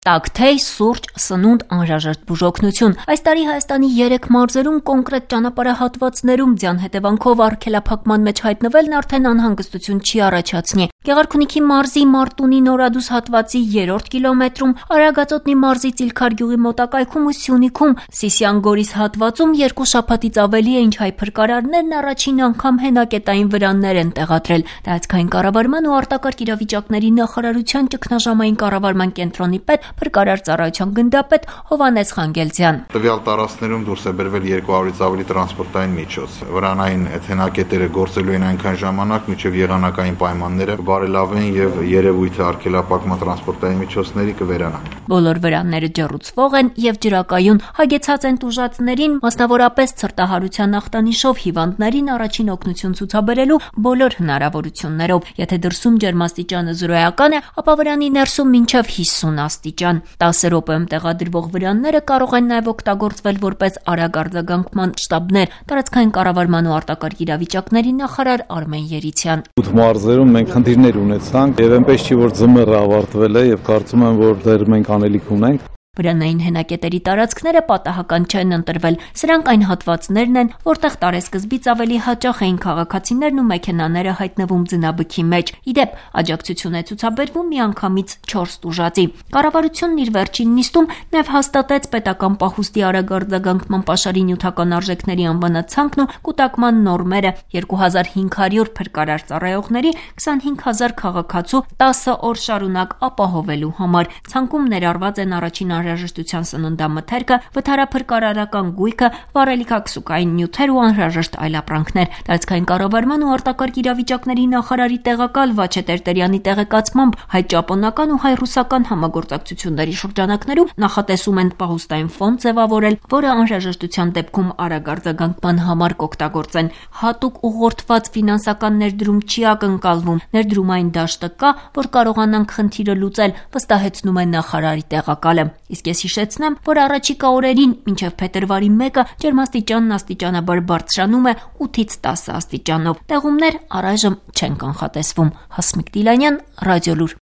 Տաքթեյ, սուրճ, սնունդ, անհրաժեշտ բուժօգնություն։ Այս տարի Հայաստանի 3 մարզերում կոնկրետ ճանապարհահատվածներում ձյան հետևանքով արգելափակման մեջ հայտնվելն արդեն անհանգստություն չի առաջացնի։ Գեղարքունիքի մարզի Մարտունի Նորադուս հատվածի 3-րդ կիլոմետրում, Արագածոտնի մարզի Ծիլքար գյուղի մոտակայքում ու Սյունիքում, Սիսիան-Գորիս հատվածում 2 շաբաթից ավելի է, ինչ հայ փրկարարներն առաջին անգամ հենակետային վրաններ են տեղադրել։ Տարածքային կառավարման ու արտակարգ իրավիճակների նախարարության ճգնաժամային կառավարման կենտրոնի պետ Փրկարար ծառայության գնդապետ Հովհաննես Խանգելցյան։ Տվյալ տարածքներում դուրս է բերվել 200-ից ավելի տրանսպորտային միջոց։ Վրանային հենակետերը գործելու են այնքան ժամանակ, մինչև եղանակային պայմանները բարելավեն եւ երևույթը արգելափակման տրանսպորտային միջոցների կվերանա։ Բոլոր վրանները ջեռուցվող են եւ ջրակայուն, հագեցած են տուժածներին, մասնավորապես ցրտահարության ախտանիշով հիվանդներին առաջին օգնություն ցուցաբերելու բոլոր հնարավորություններով։ Եթե դրսում ջերմաստիճանը 0-ական է, ապա վրանի ներսում մինչև 50 աստիճան։ 10 րոպեում տեղադրվող վրանները կարող են նաև օգտագործվել որպես արագ արձագանքման շտաբներ։ Տարածքային կառավարման ու արտակարգ իրավիճակների նախարար Արմեն Երիցյան։ 8 մարզերում մենք խնդիրներ ունեցանք եւ այնպես չի որ ձմեռը ավարտվել է եւ կարծում եմ որ դեռ մենք անելիք ունենք։ Վրանային հենակետերի տարածքները պատահական չեն ընտրվել։ Սրանք այն հատվածներն են, որտեղ տարեսկզբից ավելի հաճախ էին քաղաքացիներն ու մեքենաները հայտնվում ձնաբքի մեջ։ Իդեպ, աջակցություն է ցուցաբերվում միանգամից 4 տուժածի։ Կառավարությունն իր վերջին նիստում նաև հաստատեց պետական պահուստի արագ արձագանքման պաշարի նյութական արժեքների անվանացանքն ու կուտակման նորմերը 2500 փրկարար ծառայողների 25000 քաղաքացու 10 օր շարունակ ապահովելու համար։ Ցանկում ներառված են առաջին անհրաժեշտության սննդամթերքը, վթարափրկարարական գույքը, վառելիքաքսուկային նյութեր ու անհրաժեշտ այլ ապրանքներ։ Տարածքային կառավարման ու արտակարգ իրավիճակների նախարարի տեղակալ Վաչե Տերտերյանի տեղեկացմամբ հայ-ճապոնական ու հայ-ռուսական համագործակցությունների շրջանակներում նախատեսում են պահուստային ֆոնդ ձևավորել, որը անհրաժեշտության դեպքում արագ արձագանքման համար կօգտագործեն։ Հատուկ ուղղորդված ֆինանսական ներդրում չի ակնկալվում։ Ներդրումային դաշտը կա, որ կարողանանք խնդիրը լուծել, վստահեցնում է նախարարի տեղակալը։ Իսկ ես հիշեցնեմ, որ առաջիկա օրերին մինչև փետրվարի 1-ը ջերմաստիճանն աստիճանաբար բարձրանում է 8-ից 10 աստիճանով։ Տեղումներ առայժմ չեն կանխատեսվում։ Հասմիկ Դիլանյան, Ռադիոլուր։